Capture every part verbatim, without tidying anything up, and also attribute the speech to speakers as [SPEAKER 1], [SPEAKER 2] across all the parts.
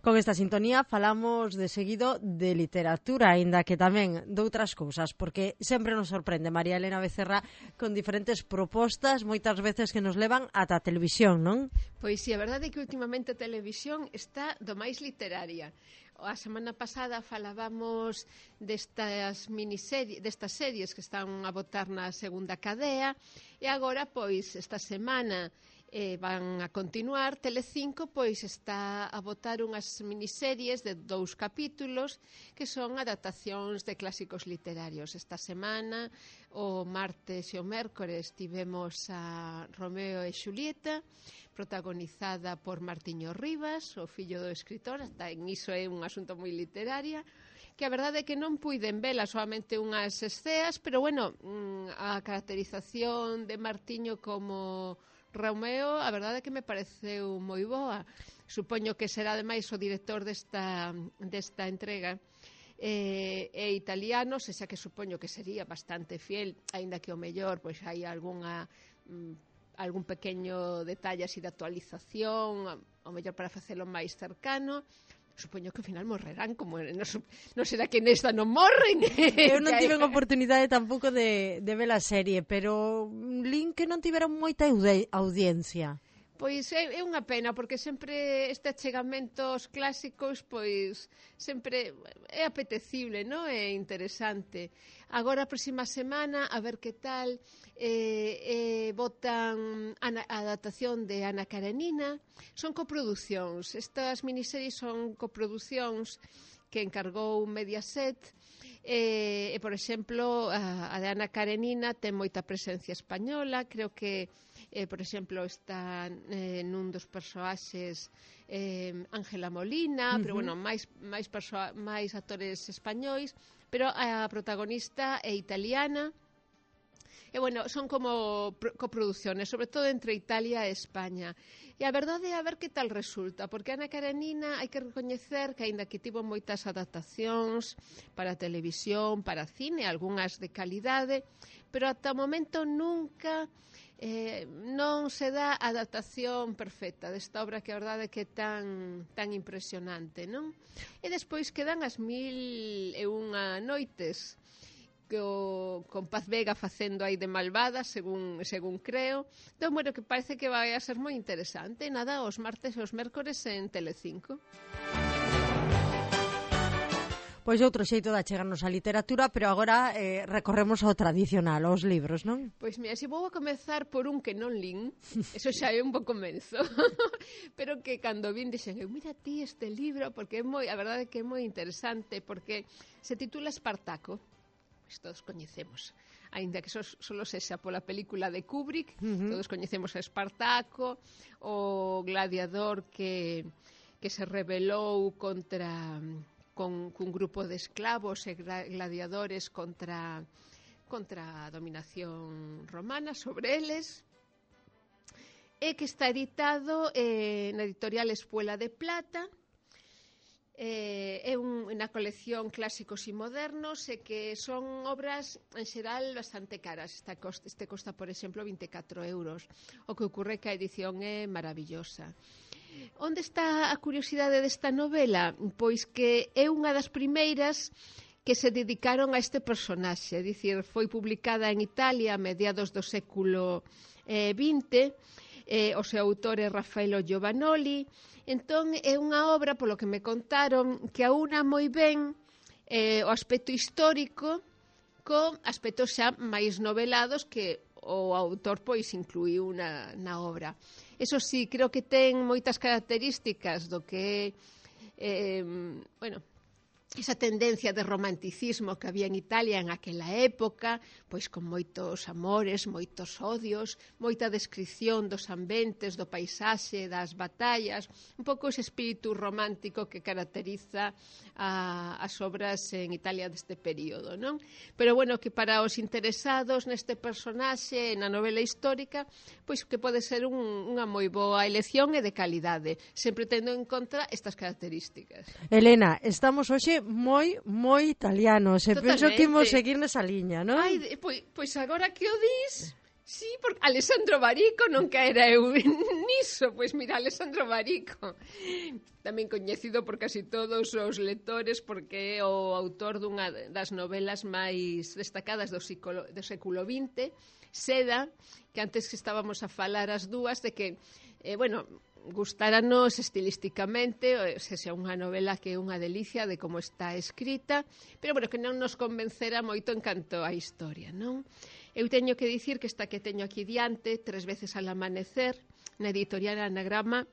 [SPEAKER 1] Con esta sintonía falamos de seguido de literatura, aínda que tamén doutras cousas, porque sempre nos sorprende María Elena Becerra con diferentes propostas, moitas veces que nos levan ata a televisión, non?
[SPEAKER 2] Pois si, a verdade é que últimamente a televisión está do máis literaria. A semana pasada falábamos destas miniseries, destas series que están a botar na segunda cadea, e agora, pois, esta semana eh, van a continuar. Telecinco, pois, está a botar unhas miniseries de dous capítulos que son adaptacións de clásicos literarios. Esta semana, o martes e o mércores, tivemos a Romeo e Xulieta, protagonizada por Martiño Rivas, o fillo do escritor. Hasta en iso é un asunto moi literaria, que a verdade é que non puiden vela, solamente unhas esceas, pero bueno, a caracterización de Martiño como Romeo, a verdade é que me pareceu moi boa. Supoño que será ademais o director desta, desta entrega eh, é italiano, se xa que supoño que sería bastante fiel, aínda que o mellor pois hai algunha mm, algún pequeño detalle así de actualización, o mellor para facelo máis cercano. Supoño que ao final morrerán, como non, non será que nesta non morren.
[SPEAKER 1] Eu non tive a oportunidade tampouco de, de ver a serie, pero lin que non tiveron moita audiencia.
[SPEAKER 2] Pois é, é unha pena, porque sempre este achegamento aos clásicos, pois sempre é apetecible, non? É interesante. Agora, a próxima semana, a ver que tal, eh, eh, botan a, a adaptación de Ana Karenina. Son coproducións. Estas miniseries son coproducións que encargou Mediaset. E, e por exemplo, a, a de Ana Karenina ten moita presencia española. Creo que Eh, por exemplo, está eh, nun dos persoaxes eh, Ángela Molina, uh -huh. pero bueno, máis, máis, máis actores españois, pero a protagonista é italiana. E bueno, son como coproducciones, sobre todo entre Italia e España. E a verdade é a ver que tal resulta, porque Ana Karenina hai que recoñecer que aínda que tivo moitas adaptacións para televisión, para cine, algunhas de calidade, pero ata o momento nunca eh, non se dá a adaptación perfecta desta obra, que a verdade é que é tan, tan impresionante, non? E despois quedan as mil e unha noites, que o, con Paz Vega facendo aí de malvada, según, según creo. Entón, bueno, que parece que vai a ser moi interesante. Nada, os martes e os mércores en Telecinco.
[SPEAKER 1] Pois outro xeito de achegarnos á literatura, pero agora eh, recorremos ao tradicional, aos libros, non?
[SPEAKER 2] Pois mira, se vou a comezar por un que non lin, eso xa é un bo comenzo, pero que cando vin dixen, mira ti este libro, porque é moi, a verdade é que é moi interesante, porque se titula Espartaco, pois todos coñecemos, aínda que só sexa pola película de Kubrick, uh -huh. todos coñecemos a Espartaco, o gladiador que, que se rebelou contra... con un grupo de esclavos e gladiadores contra, contra a dominación romana sobre eles, e que está editado eh, na editorial Espuela de Plata. Eh, é un, unha colección clásicos e modernos, e que son obras en xeral bastante caras. Esta costa, este costa, por exemplo, vinte e catro euros. O que ocorre que a edición é maravillosa. Onde está a curiosidade desta novela? Pois que é unha das primeiras que se dedicaron a este personaxe, é dicir, foi publicada en Italia a mediados do século eh, vinte, eh, o seu autor é Raffaello Giovannoli. Entón é unha obra, polo que me contaron, que aúna moi ben eh, o aspecto histórico con aspectos xa máis novelados que o autor pois incluiu na, na obra. Eso sí, creo que ten moitas características do que eh, bueno, esa tendencia de romanticismo que había en Italia en aquela época, pois con moitos amores, moitos odios, moita descripción dos ambientes, do paisaxe, das batallas, un pouco ese espírito romántico que caracteriza a, as obras en Italia deste período, non? Pero bueno, que para os interesados neste personaxe, na novela histórica, pois que pode ser un, unha moi boa elección e de calidade, sempre tendo en conta estas características.
[SPEAKER 1] Elena, estamos hoxe moi, moi italianos, e penso que imos seguir nesa liña, non?
[SPEAKER 2] Ai, pois, pois agora que o dis, Sí, porque Alessandro Barico non caera eu niso. Pois mira, Alessandro Barico, tamén coñecido por casi todos os lectores, porque é o autor dunha das novelas máis destacadas do, século, do século vinte, Seda, que antes que estábamos a falar as dúas de que, eh, bueno, gustáranos estilísticamente, se xa unha novela que é unha delicia de como está escrita, pero bueno, que non nos convencera moito en canto á historia, non? Eu teño que dicir que esta que teño aquí diante, Tres veces al amanecer, na editorial Anagrama,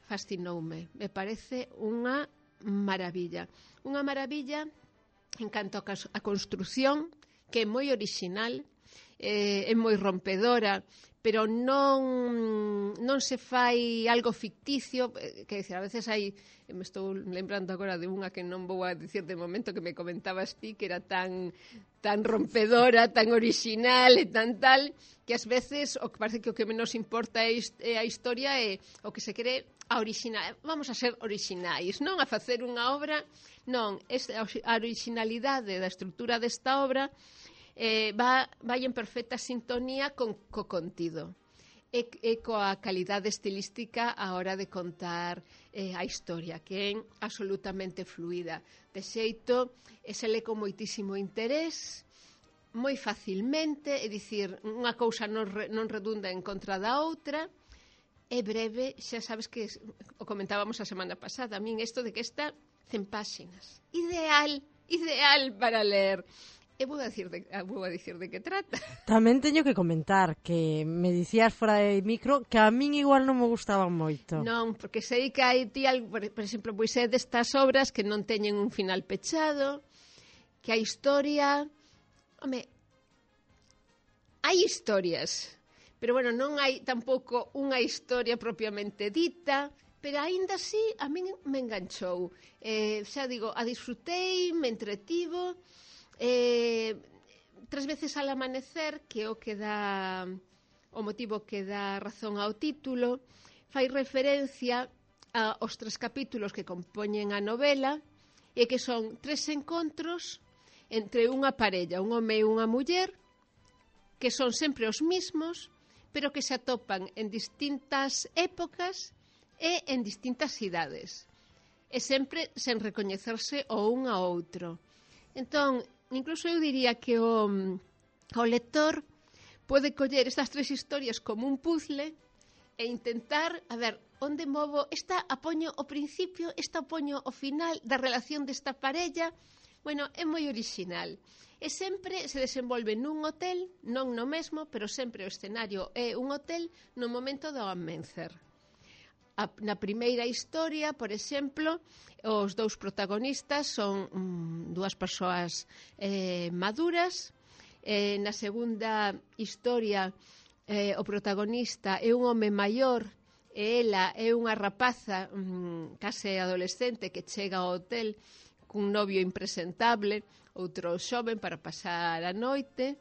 [SPEAKER 2] fascinoume. Me parece unha maravilla. Unha maravilla en canto a construción, que é moi original, eh, é moi rompedora, pero non, non se fai algo ficticio, que dizer, a veces hai, me estou lembrando agora de unha que non vou a dicir de momento que me comentabas ti, que era tan, tan rompedora, tan original e tan tal, que ás veces o que parece que o que menos importa é a historia e o que se quere a original. Vamos a ser originais, non a facer unha obra, non, a originalidade da estrutura desta obra Eh, va, vai en perfecta sintonía con co contido e, e coa calidade estilística a hora de contar eh, a historia, que é absolutamente fluida. De xeito, e se lê con moitísimo interés, moi facilmente, é dicir, unha cousa non, re, non redunda en contra da outra, é breve, xa sabes que o comentábamos a semana pasada, a min isto de que está cen páxinas. Ideal, ideal para ler. E vou a dicir de, vou a dicir de que trata.
[SPEAKER 1] Tamén teño que comentar que me dicías fora de micro que a min igual non me gustaban moito.
[SPEAKER 2] Non, porque sei que hai ti, por, por exemplo, pois é destas obras que non teñen un final pechado, que a historia, home, hai historias, pero bueno, non hai tampouco unha historia propiamente dita, pero aínda así a min me enganchou. Eh, xa digo, a disfrutei, me entretivo. Eh, tres veces al amanecer, que o que dá o motivo que dá razón ao título, fai referencia aos tres capítulos que compoñen a novela e que son tres encontros entre unha parella, un home e unha muller, que son sempre os mismos, pero que se atopan en distintas épocas e en distintas idades, e sempre sen recoñecerse o un a outro. Entón, incluso eu diría que o, o lector pode coller estas tres historias como un puzzle e intentar, a ver, onde movo, esta apoño o principio, esta apoño o final da relación desta parella. Bueno, é moi original. E sempre se desenvolve nun hotel, non no mesmo, pero sempre o escenario é un hotel no momento do amencer. A, na primeira historia, por exemplo, os dous protagonistas son mm, dúas persoas eh, maduras. Eh, na segunda historia, eh, o protagonista é un home maior e ela é unha rapaza mm, case adolescente que chega ao hotel cun novio impresentable, outro xoven para pasar a noite.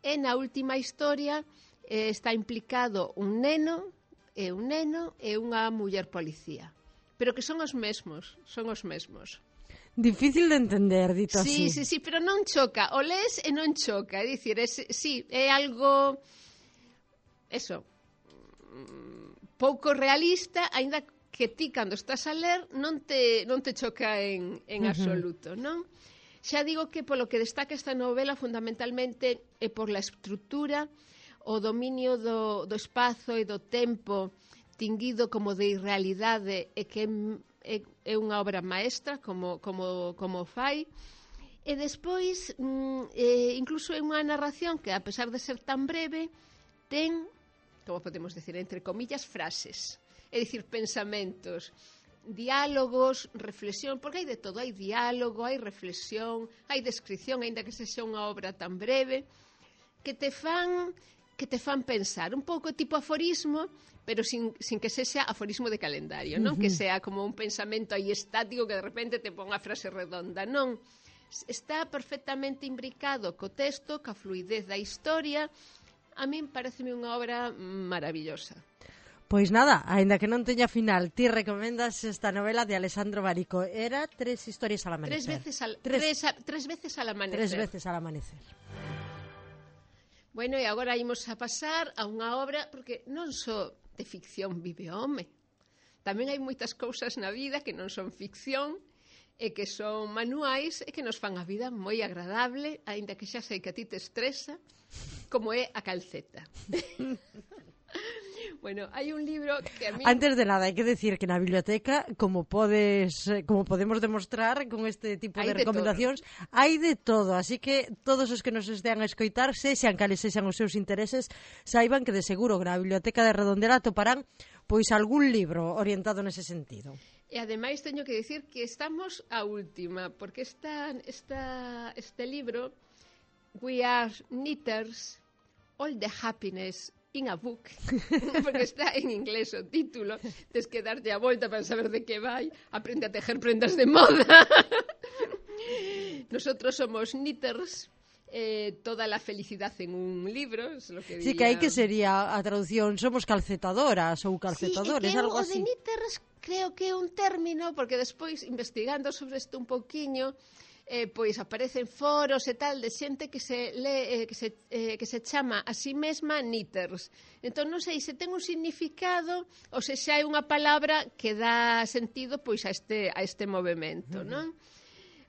[SPEAKER 2] E na última historia eh, está implicado un neno é un neno e unha muller policía, pero que son os mesmos, son os mesmos.
[SPEAKER 1] Difícil de entender, dito
[SPEAKER 2] sí,
[SPEAKER 1] así.
[SPEAKER 2] Sí, sí, pero non choca, o lees e non choca, é dicir, é, sí, é algo, eso, pouco realista, aínda que ti, cando estás a ler, non te, non te choca en, en uh-huh. absoluto, non? Xa digo que polo que destaca esta novela, fundamentalmente, é por la estrutura, o dominio do, do espazo e do tempo tinguido como de irrealidade e que é, é unha obra maestra como, como, como fai. E despois, mm, eh, incluso é unha narración que, a pesar de ser tan breve, ten, como podemos decir, entre comillas, frases. É dicir, pensamentos, diálogos, reflexión, porque hai de todo, hai diálogo, hai reflexión, hai descripción, aínda que sexa unha obra tan breve, que te fan... que te fan pensar, un pouco tipo aforismo, pero sin, sin que sexa aforismo de calendario, non? Uh-huh. Que sea como un pensamento aí estático que de repente te pon a frase redonda, non? Está perfectamente imbricado co texto, ca fluidez da historia. A min pareceme unha obra maravillosa.
[SPEAKER 1] Pois nada, aínda que non teña final, ti recomendas esta novela de Alessandro Barico. Era Tres historias al amanecer.
[SPEAKER 2] Tres veces al, tres, tres, tres veces al amanecer.
[SPEAKER 1] Tres veces al amanecer.
[SPEAKER 2] Bueno, e agora imos a pasar a unha obra, porque non só de ficción vive o home, tamén hai moitas cousas na vida que non son ficción, e que son manuais e que nos fan a vida moi agradable, aínda que xa sei que a ti te estresa, como é a calceta. Bueno, hai un libro que a mí...
[SPEAKER 1] Antes de nada, hai que decir que na biblioteca, como podes, como podemos demostrar con este tipo
[SPEAKER 2] Hai
[SPEAKER 1] de
[SPEAKER 2] de
[SPEAKER 1] recomendacións, hai de todo, así que todos os que nos estean a escoitar, sexan cales sexan os seus intereses, saiban que de seguro que na biblioteca de Redondela atoparán pois algún libro orientado nese sentido.
[SPEAKER 2] E ademais teño que dicir que estamos a última, porque esta, esta, este libro, We Are Knitters, All the Happiness in a Book, porque está en inglés o título, tens que darte a volta para saber de que vai, aprende a tejer prendas de moda. Nosotros somos knitters, eh, toda la felicidad en un libro, es lo que diría...
[SPEAKER 1] Sí, que aí que sería a traducción, somos calcetadoras ou calcetadores,
[SPEAKER 2] sí,
[SPEAKER 1] algo
[SPEAKER 2] o
[SPEAKER 1] así.
[SPEAKER 2] de knitters creo que é un término, porque despois, investigando sobre isto un pouquiño, eh, pois aparecen foros e tal de xente que se le, eh, que, se, eh, que se chama a si mesma knitters. Entón non sei se ten un significado ou se xa é unha palabra que dá sentido pois a este, a este movimento, uh-huh. non?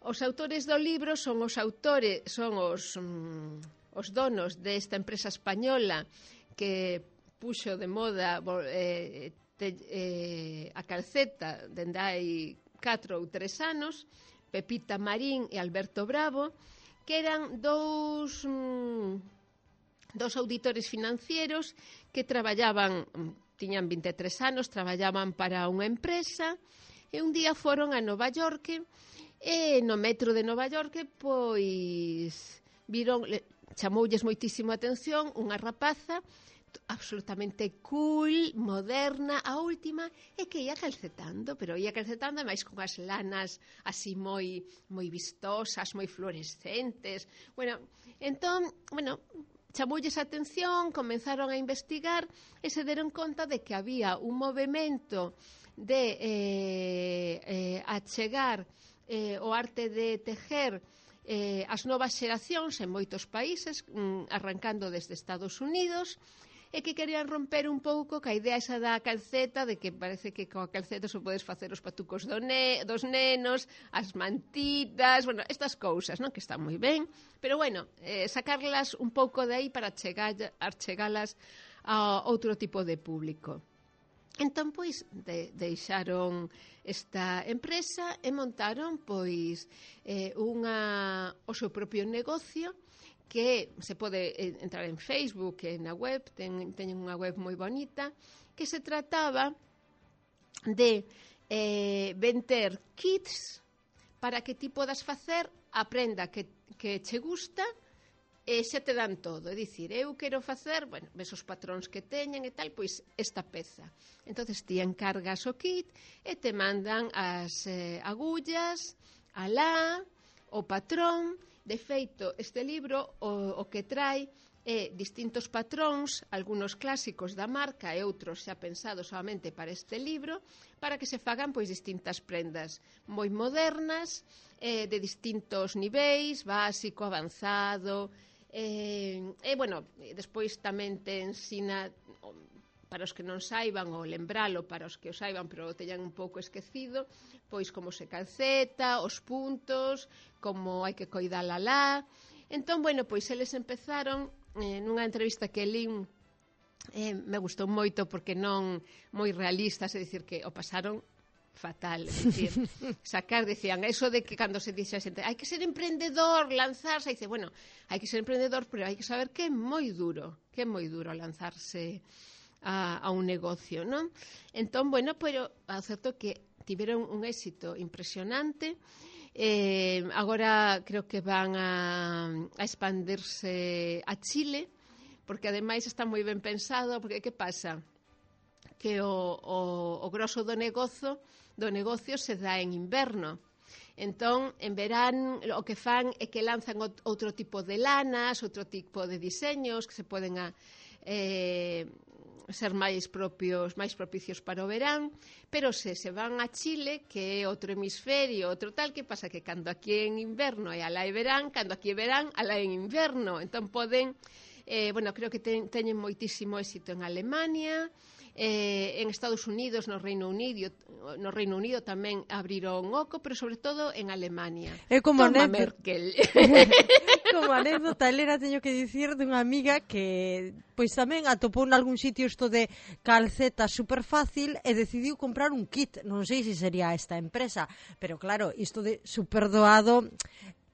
[SPEAKER 2] Os autores do libro son os autores, son os, mm, os donos desta empresa española que puxo de moda eh, te, eh, a calceta dende hai catro ou tres anos, Pepita Marín e Alberto Bravo, que eran dous, mm, dous auditores financieros que traballaban, tiñan vinte e tres anos, traballaban para unha empresa, e un día foron a Nova York, e no metro de Nova York, pois, viron, chamoulles moitísimo a atención unha rapaza absolutamente cool, moderna, a última, e que ia calcetando, pero ia calcetando máis con as lanas así moi moi vistosas, moi fluorescentes. Bueno, entón, bueno, chamoulles a atención, comenzaron a investigar e se deron conta de que había un movimento de eh, eh, achegar eh, o arte de tejer eh, as novas xeracións en moitos países, mm, arrancando desde Estados Unidos, e que querían romper un pouco ca idea esa da calceta, de que parece que coa calceta só podes facer os patucos do ne, dos nenos, as mantitas, bueno, estas cousas, non? Que están moi ben, pero bueno, eh, sacarlas un pouco de aí para chegar, achegalas a outro tipo de público. Entón, pois, de, deixaron esta empresa e montaron, pois, eh, unha, o seu propio negocio, que se pode entrar en Facebook e na web, ten, teñen unha web moi bonita, que se trataba de eh, vender kits para que ti podas facer a prenda que, que che gusta e xa te dan todo. É dicir, eu quero facer, bueno, ves os patróns que teñen e tal, pois esta peza. Entonces ti encargas o kit e te mandan as eh, agullas, a lá, o patrón. De feito, este libro o, o que trae é distintos patróns, algunos clásicos da marca e outros xa pensados solamente para este libro, para que se fagan pois distintas prendas moi modernas, eh, de distintos niveis, básico, avanzado, e, e bueno, despois tamén te ensina, para os que non saiban, ou lembralo para os que o saiban, pero o teñan un pouco esquecido, pois como se calceta, os puntos, como hai que coidala lá. Entón, bueno, pois eles empezaron, eh, nunha entrevista que lín, eh, me gustou moito porque non moi realistas, é dicir, que o pasaron fatal, é dicir, sacar, decían, eso de que cando se dixe a xente, hai que ser emprendedor, lanzarse, dice, bueno, hai que ser emprendedor, pero hai que saber que é moi duro, que é moi duro lanzarse a, a un negocio, non? Entón, bueno, pero é certo que tiveron un éxito impresionante. Eh, agora creo que van a, a expandirse a Chile, porque ademais está moi ben pensado, porque que pasa? Que o, o, o grosso do negocio, do negocio se dá en inverno. Entón, en verán, o que fan é que lanzan outro tipo de lanas, outro tipo de diseños que se poden a, eh, ser máis propios, máis propicios para o verán, pero se se van a Chile, que é outro hemisferio, outro tal, que pasa que cando aquí é en inverno e alá é verán, cando aquí é verán, alá é en inverno, entón poden Eh, bueno, creo que ten, teñen moitísimo éxito en Alemania, eh, en Estados Unidos, no Reino Unido, no Reino Unido tamén abriron oco, pero sobre todo en Alemania.
[SPEAKER 1] É como
[SPEAKER 2] Toma
[SPEAKER 1] anécdota,
[SPEAKER 2] Merkel.
[SPEAKER 1] como anécdota, Elena, teño que dicir dunha amiga que pois tamén atopou en algún sitio isto de calceta super fácil e decidiu comprar un kit. Non sei se sería esta empresa, pero claro, isto de super doado,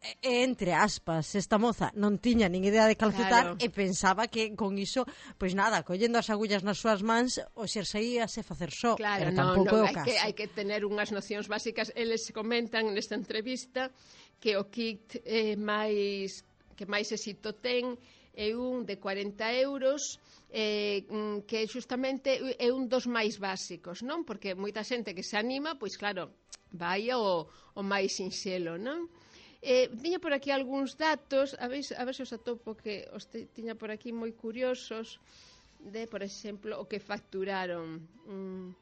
[SPEAKER 1] e, entre aspas, esta moza non tiña nin idea de calcetar,
[SPEAKER 2] Claro.
[SPEAKER 1] e pensaba que con iso, pois nada, collendo as agullas nas súas mans, o xerseíase facer só.
[SPEAKER 2] Claro,
[SPEAKER 1] pero
[SPEAKER 2] no,
[SPEAKER 1] tampouco é
[SPEAKER 2] no,
[SPEAKER 1] o
[SPEAKER 2] hai
[SPEAKER 1] caso.
[SPEAKER 2] que, hai que tener unhas nocións básicas. Eles comentan nesta entrevista que o kit eh, máis que máis éxito ten é un de cuarenta euros, eh, que justamente é un dos máis básicos, non? Porque moita xente que se anima, pois claro, vai o, o máis sinxelo, non? Eh, tiña por aquí algúns datos, a ver, a ver se os atopo, que os te, tiña por aquí moi curiosos, de, por exemplo, o que facturaron. Mm.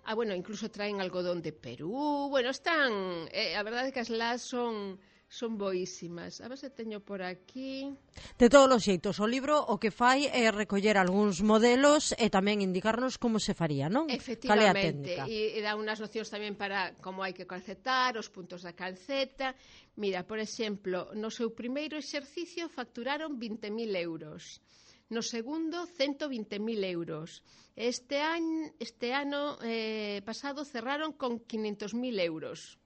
[SPEAKER 2] Ah, bueno, incluso traen algodón de Perú. Bueno, están... Eh, a verdade é que as las son... son boísimas. A ver se teño por aquí.
[SPEAKER 1] De todos os xeitos, o libro o que fai é recoller algúns modelos e tamén indicarnos como se faría, non? Cal é a
[SPEAKER 2] Efectivamente,
[SPEAKER 1] técnica?
[SPEAKER 2] e, e dá unhas nocións tamén para como hai que calcetar, os puntos da calceta. Mira, por exemplo, no seu primeiro exercicio facturaron vinte mil euros. No segundo, ciento vinte mil euros. Este, año, este ano eh, pasado cerraron con quinhentos mil euros.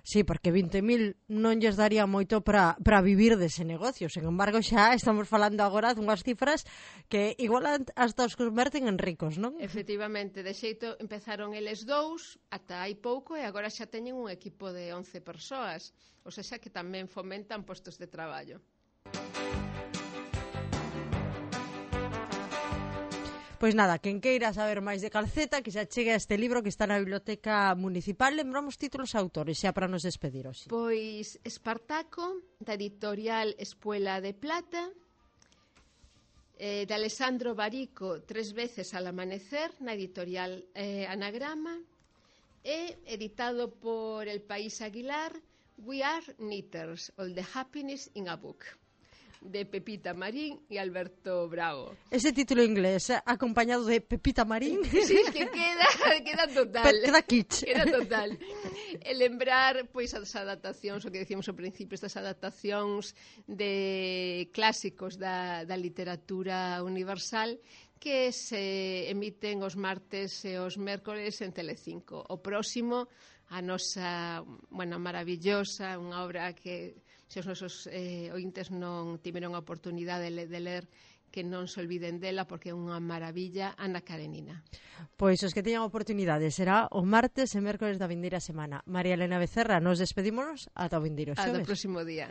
[SPEAKER 1] Sí, porque vinte mil non lles daría moito para para vivir dese negocio. Sen embargo, xa estamos falando agora dunhas cifras que igual hasta os converten en ricos, non?
[SPEAKER 2] Efectivamente, de xeito empezaron eles dous ata hai pouco e agora xa teñen un equipo de once persoas, ou seja que tamén fomentan postos de traballo.
[SPEAKER 1] Pois nada, quen queira saber máis de calceta, que xa chegue a este libro que está na Biblioteca Municipal. Lembramos títulos e autores, xa para nos despedir hoxe.
[SPEAKER 2] Pois Espartaco, da editorial Espuela de Plata, eh, de Alessandro Barico, Tres veces al amanecer, na editorial eh, Anagrama, e editado por El País Aguilar, We Are Knitters, All the Happiness in a Book, de Pepita Marín e Alberto Bravo.
[SPEAKER 1] Ese título inglés, eh, acompañado de Pepita Marín,
[SPEAKER 2] Sí, que queda, queda total.
[SPEAKER 1] queda kitsch.
[SPEAKER 2] Queda total. E lembrar, pois, as adaptacións, o que decíamos ao principio, estas adaptacións de clásicos da, da literatura universal que se emiten os martes e os mércores en Telecinco. O próximo, a nosa, bueno, maravillosa, unha obra que se os nosos eh, ointes non tiveron a oportunidade de, de ler, que non se olviden dela porque é unha maravilla, Ana Karenina.
[SPEAKER 1] Pois os que teñan oportunidade será o martes e mércores da vindeira semana. María Elena Becerra, nos despedímonos ata o vindeiro
[SPEAKER 2] Ata o
[SPEAKER 1] xoves.
[SPEAKER 2] próximo día.